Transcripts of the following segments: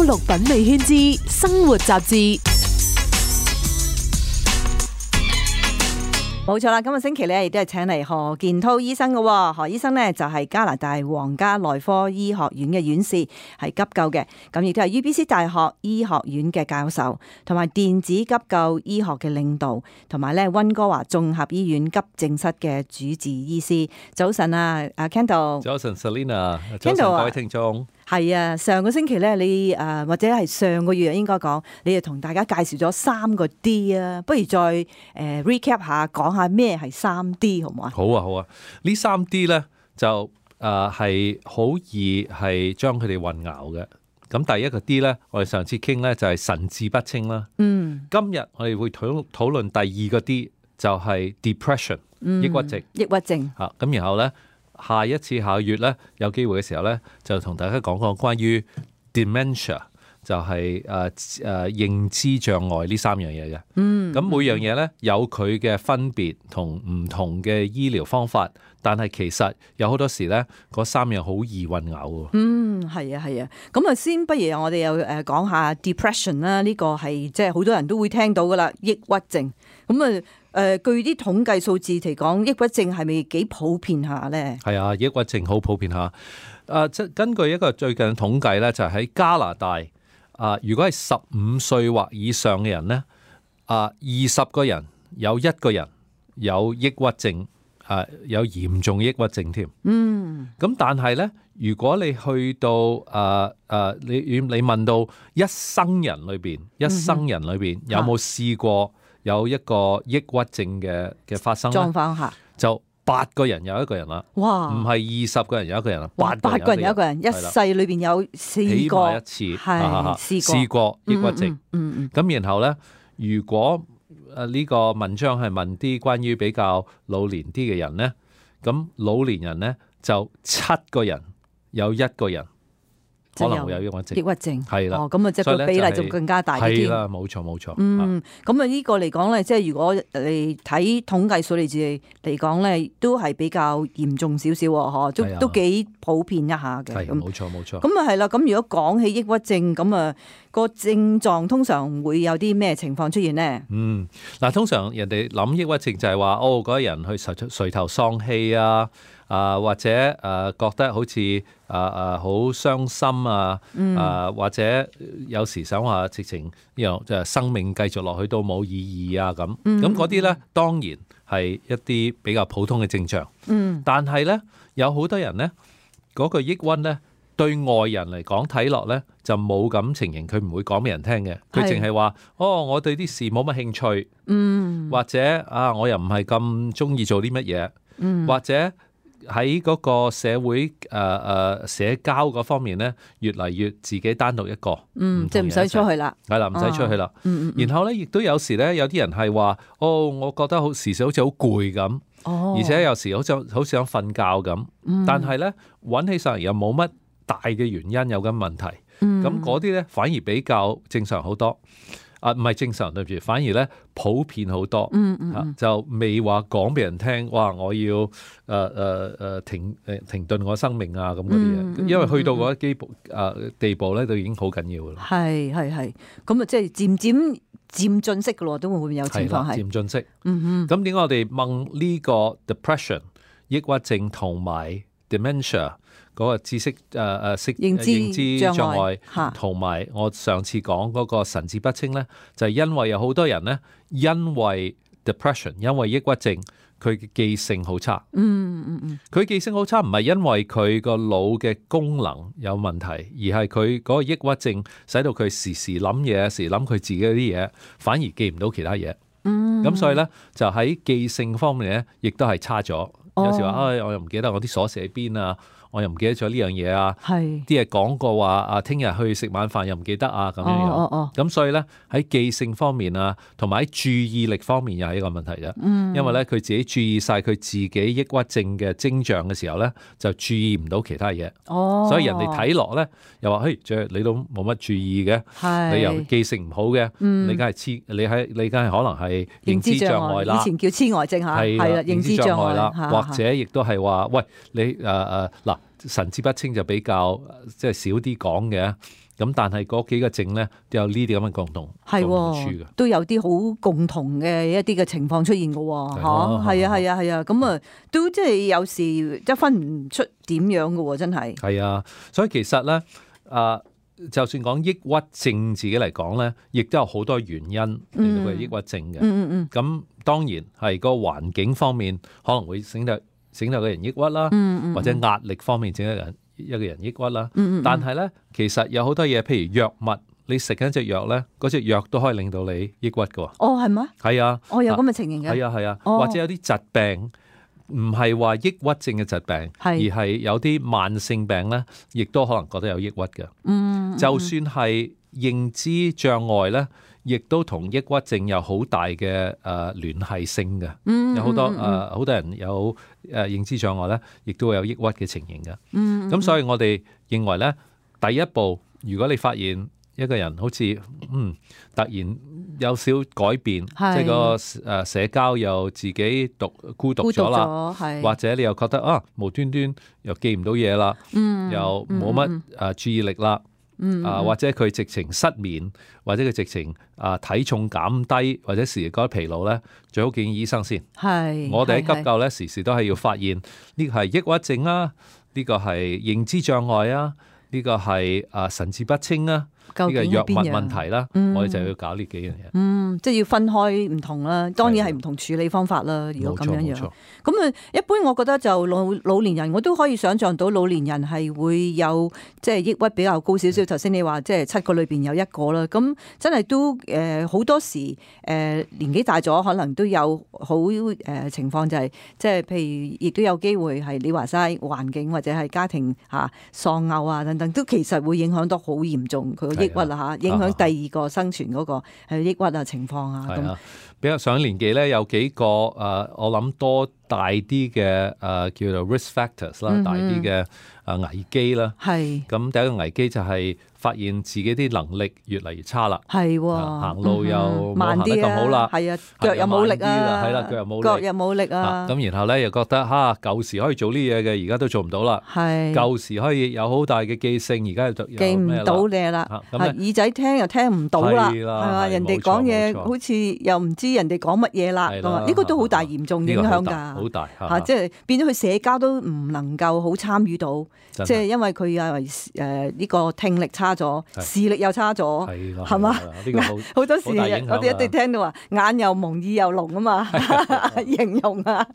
綠品味圈之生活雜誌。冇錯啦，今個星期咧亦都係請嚟何健滔醫生嘅。何醫生呢就係加拿大皇家內科醫學院嘅院士，係急救嘅，咁亦都係 UBC 大學醫學院嘅教授，同埋電子急救醫學嘅領導，同埋咧溫哥華綜合醫院急症室嘅主治醫師。早晨啊，阿 Kendall。早晨 Selina， 早晨各位聽眾。係啊，上個星期咧，你或者係上個月應該講，你就同大家介紹咗3個 D 啊，不如再recap 下，講下咩係3D好唔好啊？好啊，好啊，呢3D 咧就係好易係將佢哋混淆嘅。咁第一個 D 咧，我哋上次傾咧就係神志不清啦。今日我哋會討論第2個 D，就係 depression，抑鬱症。抑鬱症。咁然後咧。下一次下個月咧有機會嘅時候咧，就同大家講講關於 dementia， 就係認知障礙呢3樣嘢嘅。咁每樣嘢咧有佢嘅分別同唔同嘅醫療方法，但係其實有好多時咧嗰3樣好易混淆喎。係啊係啊。咁啊先不如我哋又講下 depression 啦，呢個係即係好多人都會聽到噶啦，抑鬱症。咁據啲統計數字嚟講，抑鬱症係咪幾普遍下咧？係啊，抑鬱症好普遍下。即根據一個最近嘅統計咧，就係喺加拿大如果係15歲或以上嘅人咧，20個人有1個人有抑鬱症，有嚴重抑鬱症添。咁但係咧，如果你去到你問到一生人裏邊有冇試過有一個抑鬱症嘅發生狀況下，就8個人有1個人啦。哇！唔係20個人有1個人啦，8個人有1個人，一世裏邊有試過起碼一次，試過抑鬱症。咁然後咧，如果呢個文章係問啲關於比較老年啲嘅人咧，咁老年人咧就7個人有1個人可能會有抑鬱症。抑鬱症係啦，咁啊，即係個比例就更加大啲。係啦，冇錯冇錯。咁啊呢個嚟講咧，即係如果你睇統計數字嚟講咧，都係比較嚴重少少喎，都幾普遍一下嘅。係冇錯冇錯。咁啊係啦，咁如果講起抑鬱症，咁啊個症狀通常會有啲咩情況出現呢？嗱，通常人哋諗抑鬱症就係話，嗰個人去垂頭喪氣啊。或者覺得好似好傷心啊，或者有時想話直情就生命繼續落去都冇意義啊咁。咁嗰啲咧當然係一啲比較普通嘅症狀。但係咧有好多人咧嗰個抑鬱咧對外人嚟講睇落咧就冇咁情形，佢唔會講俾人聽嘅。佢淨係話我對啲事冇乜興趣，或者我又唔係咁中意做啲乜嘢，或者喺嗰個社會社交嗰方面咧，越嚟越自己單獨一個，即係唔使出去啦，係啦，唔使出去啦。然後咧，亦都有時咧，有啲人係話，我覺得時時好似好攰咁，而且有時好想瞓覺咁，但係咧揾起上嚟又冇乜大嘅原因有咁問題，咁嗰啲咧反而比較正常好多。唔係正常對唔住，反而咧普遍好多，就未話講俾人聽，哇！我要停頓我生命啊咁嗰啲嘢，因為去到嗰啲地步咧，都已經好緊要啦。係，咁啊，即係漸進式嘅咯，都會唔會有情況係漸進式。咁點解我哋問呢個 depression 抑鬱症同埋 dementia？嗰個知識認知障礙，同埋我上次講嗰個神志不清咧，就係因為有好多人咧，因為 depression， 因為抑鬱症，佢嘅記性好差。佢記性好差，唔係因為佢個腦嘅功能有問題，而係佢嗰個抑鬱症使到佢時時諗嘢，時諗佢自己啲嘢，反而記唔到其他嘢。咁所以咧，就喺記性方面咧，亦都係差咗。有時話我又唔記得我啲鎖匙喺邊啊。我又唔記得咗呢樣嘢啊！啲嘢講過話聽日去食晚飯又唔記得啊咁樣。咁所以咧喺記性方面啊，同埋喺注意力方面又係一個問題啫。因為咧佢自己注意晒佢自己抑鬱症嘅徵象嘅時候咧，就注意唔到其他嘢。所以人哋睇落咧又話：你都冇乜注意嘅，你又記性唔好嘅，你梗係你梗係可能係認知障礙啦。以前叫痴呆症嚇，係啦，認知障礙啦，或者亦都係話：喂，你嗱。神志不清就比較即係少啲講嘅，咁但係嗰幾個症咧都有呢啲咁嘅共同處嘅，都有啲好共同嘅一啲嘅情況出現嘅喎，係啊，咁啊都即係有時即係分唔出點樣嘅喎，真係。係啊，所以其實咧就算講抑鬱症自己嚟講咧，亦都有好多原因令到佢抑鬱症嘅。咁當然係個環境方面可能會整到個人抑鬱啦，或者壓力方面整到一個人抑鬱啦。但係咧，其實有好多嘢，譬如藥物，你食緊隻藥咧，嗰隻藥都可以令到你抑鬱嘅。哦，係咩？係啊，有咁嘅情形嘅。係啊，或者有啲疾病唔係話抑鬱症嘅疾病，而係有啲慢性病咧，亦都可能覺得有抑鬱嘅。就算係認知障礙咧，亦都同抑鬱症有好大嘅聯繫性嘅。有好多人有認知障礙咧，亦都會有抑鬱嘅情形嘅。咁所以我哋認為咧，第一步，如果你發現一個人好似突然有少改變，即係個社交又自己孤獨咗啦，或者你又覺得無端端又記唔到嘢啦，又冇乜注意力啦。或者佢直情失眠，或者佢直情體重減低，或者時時覺得疲勞咧，最好見醫生先。我哋喺急救咧，時時都係要發現呢個係抑鬱症啊，呢個係認知障礙啊，呢個係神志不清啊，呢個藥物問題啦，我哋就要搞呢幾樣嘢。即係要分開唔同啦，當然係唔同處理方法啦。如果咁樣，咁一般我覺得就老年人，我都可以想象到老年人係會有即係抑鬱比較高少少。頭先你話即係7個裏邊有1個啦，咁真係都好多時年紀大咗，可能都有好情況就係即係譬如亦都有機會係你話齋環境或者係家庭喪偶啊等等，都其實會影響到好嚴重佢個抑鬱啊影響第二個生存嗰個係抑鬱情況啊。咁比較上年紀咧，有幾個我諗多大啲嘅叫做 risk factors 啦，大啲嘅危機啦。咁第一個危機就係發現自己啲能力越嚟越差啦。行路又冇行得咁好啦。腳又冇力啊。係啦，腳又冇力啊。咁然後咧又覺得舊時可以做呢嘢嘅，而家都做唔到啦。舊時可以有好大嘅記性，而家就記唔到嘢啦。耳仔聽又聽唔到啦。係嘛？人哋講嘢好似又唔知人哋講乜嘢啦。呢個都好大嚴重影響㗎。好大即係變咗佢社交都唔能夠好參與到，即係因為佢呢個聽力差咗，視力又差咗，係嘛？好多時我哋一定聽到話眼又蒙耳又聾啊嘛，形容啊，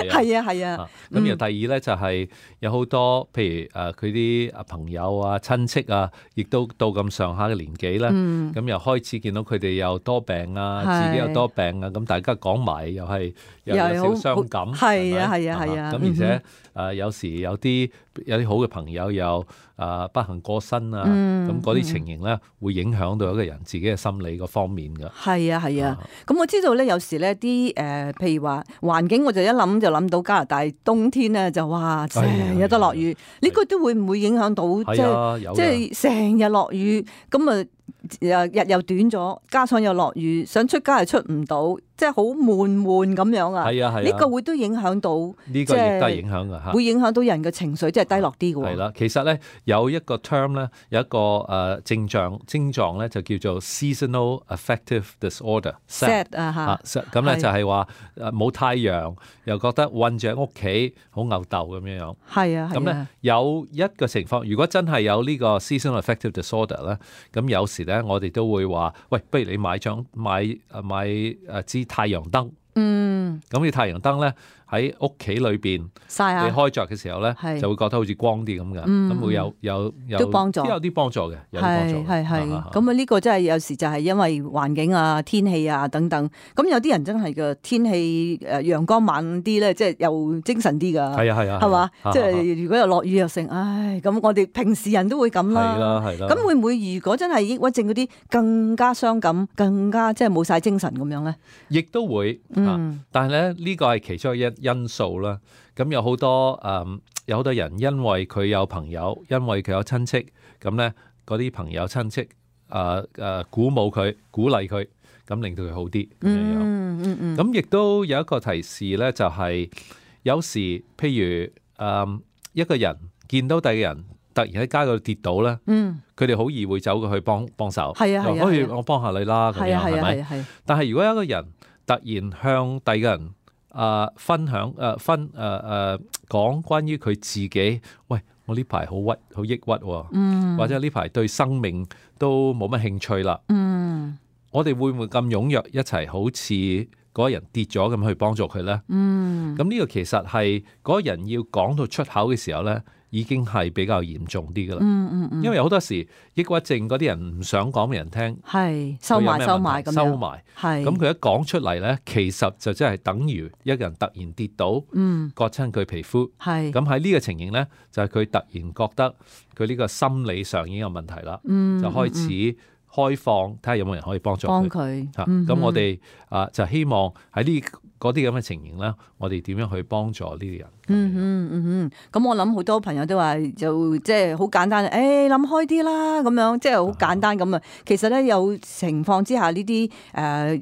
係啊。咁然後第二咧就係有好多譬如佢啲朋友啊、親戚啊，亦都到咁上下嘅年紀咧，咁又開始見到佢哋又多病啊，自己又多病啊，咁大家講埋又係有少傷感。係啊。咁而且有時有啲好嘅朋友又不幸過身啊，咁嗰啲情形咧會影響到一個人自己嘅心理嗰方面㗎。係啊。咁我知道咧，有時咧啲譬如話環境，我就一諗就諗到加拿大冬天咧就哇成日都落雨，呢個都會唔會影響到？即係成日落雨，咁啊日又短咗，加上又落雨，想出街又出唔到。即係好悶咁樣啊！呢個會都影響到，呢個亦都係影響㗎嚇，會影響到人嘅情緒，即係低落啲嘅喎。係啦，其實咧有一個 term 咧，有一個症狀咧，就叫做 seasonal affective disorder。SAD 咁咧就係話冇太陽，又覺得韞住喺屋企好吽竇咁樣。係啊，咁咧有一個情況，如果真係有呢個 seasonal affective disorder 咧，咁有時咧我哋都會話，喂，不如你買支太陽燈，咁你太陽燈咧喺屋企裏邊曬下，你開着嘅時候咧，就會覺得好似光啲咁嘅，咁會有都幫助，有啲幫助嘅，有啲幫助。係咁啊！呢個真係有時就係因為環境啊、天氣啊等等。咁有啲人真係嘅天氣陽光猛啲咧，即係又精神啲㗎。係啊，係嘛？即係如果又落雨又成，咁我哋平時人都會咁啦。係啦。咁會唔會如果真係抑鬱症嗰啲更加傷感、更加即係冇晒精神咁樣咧？亦都會，但係咧呢個係其中一因素啦，咁有好多人因為佢有朋友，因為佢有親戚，咁咧嗰啲朋友親戚鼓舞佢、鼓勵佢，咁令到佢好啲咁樣。咁亦都有一個提示咧，就係有時譬如一個人見到第二個人突然喺街嗰度跌倒咧，佢哋好易會走過去幫手，係啊係啊，不如我幫下你啦咁樣係咪？但係如果有一個人突然向第二個人分享講關於佢自己，喂，我呢排好抑鬱喎，或者呢排對生命都冇乜興趣啦，我哋會唔會咁踴躍一齊好似嗰個人跌咗咁去幫助佢咧？咁呢個其實係嗰個人要講到出口嘅時候咧，已經係比較嚴重啲噶啦。因為好多時抑鬱症嗰啲人唔想講俾人聽，係收埋咁樣，收埋。咁佢一講出嚟咧，其實就真係等於一個人突然跌倒，割親佢皮膚。咁喺呢個情形咧，就係佢突然覺得佢呢個心理上已經有問題啦，就開始開放，睇下有冇人可以幫助佢。咁我哋就希望喺嗰啲咁嘅情形咧，我哋點樣去幫助呢啲人？咁我諗好多朋友都話就即係好簡單，諗開啲啦，咁樣即係好簡單咁啊。其實咧有情況之下呢啲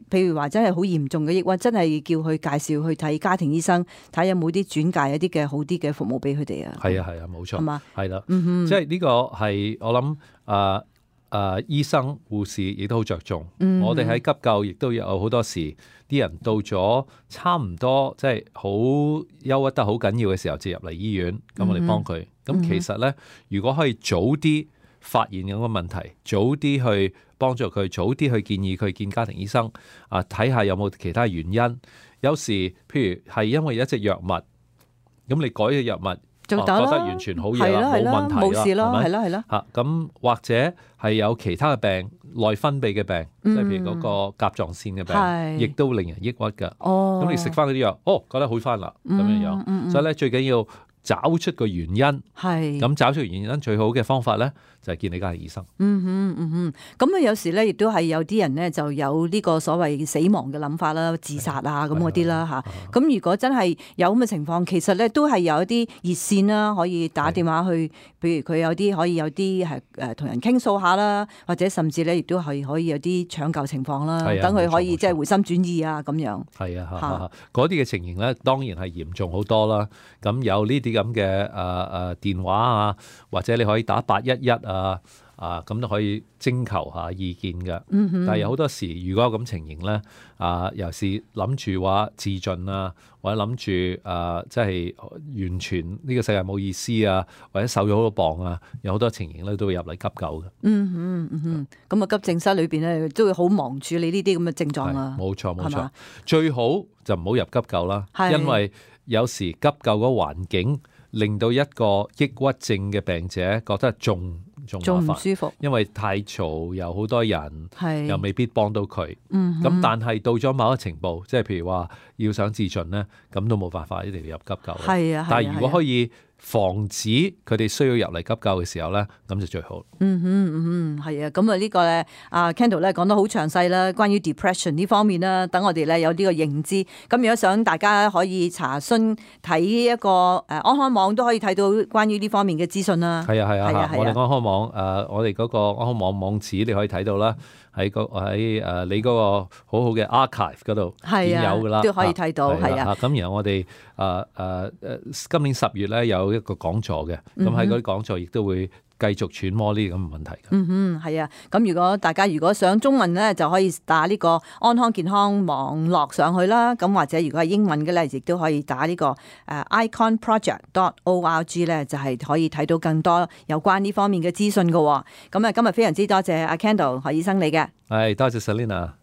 譬如話真係好嚴重嘅抑鬱，真係叫佢介紹去睇家庭醫生，睇有冇啲轉介一啲嘅好啲嘅服務俾佢哋啊。係啊，冇錯，係嘛，係啦，即係呢個係我諗醫生護士亦都好着重。我哋喺急救亦都有好多時啲人到咗差唔多即係好憂鬱得好緊要嘅時候，就入嚟醫院，咁我哋幫佢。咁其實咧，如果可以早啲發現有個問題，早啲去幫助佢，早啲去建議佢見家庭醫生睇下有冇其他原因。有時譬如係因為一隻藥物，咁你改嘅藥物覺得完全好嘢啦，冇問題啦，冇事啦，係啦，係啦。咁或者係有其他嘅病，內分泌嘅病，即係譬如嗰個甲狀腺嘅病，亦都令人抑鬱㗎。咁你食翻嗰啲藥，覺得好翻啦，咁樣樣。所以咧，最緊要找出個原因。咁找出原因最好嘅方法咧，就係見你家庭醫生。咁有時咧，亦都係有啲人咧就有呢個所謂死亡嘅諗法啦，自殺啊咁嗰啲啦嚇。咁如果真係有咁嘅情況，其實咧都係有一啲熱線啦，可以打電話去，譬如佢有啲可以有啲係同人傾訴下啦，或者甚至咧亦都係可以有啲搶救情況啦，等佢可以即係回心轉意啊咁樣。嗰啲嘅情形咧，當然係嚴重好多啦。咁有呢啲咁嘅電話啊，或者你可以打811咁都可以徵求下意見嘅。但係有好多時，如果有咁情形咧，尤其是諗住話自盡啊，或者諗住即係完全呢個世界冇意思啊，或者瘦咗好多磅啊，有好多情形咧都會入嚟急救嘅。咁急症室裏邊咧都會好忙處理呢啲咁嘅症狀啊。冇錯，最好就唔好入急救啦，因為有時急救嗰個環境令到一個抑鬱症嘅病者覺得仲唔舒服，因為太嘈，有好多人，又未必幫到佢。咁但係到咗某一個程度，即係譬如話要想自盡咧，咁都冇辦法，一定要入急救。但係如果可以防止佢哋需要入嚟急救嘅時候咧，咁就最好。係啊，咁呢個咧，Kendall 咧講得好詳細啦，關於 depression 呢方面啦，等我哋咧有呢個認知。咁如果想大家可以查詢睇一個安康網都可以睇到關於呢方面嘅資訊啦。係啊，我哋安康網我哋嗰個安康網網址你可以睇到啦，喺你嗰個好好嘅 archive 嗰度已經有噶啦，都可以睇到。咁然後我哋今年10月咧有一個講座嘅，咁喺嗰啲講座亦都會繼續揣摩呢啲咁嘅問題。係啊，咁如果大家想中文咧，就可以打呢個安康健康網絡上去啦。咁或者如果係英文嘅咧，亦都可以打呢個iconproject.org 咧，就係可以睇到更多有關呢方面嘅資訊㗎。咁今日非常之多謝阿 Kendall 何醫生你嘅。係，多謝 Selina。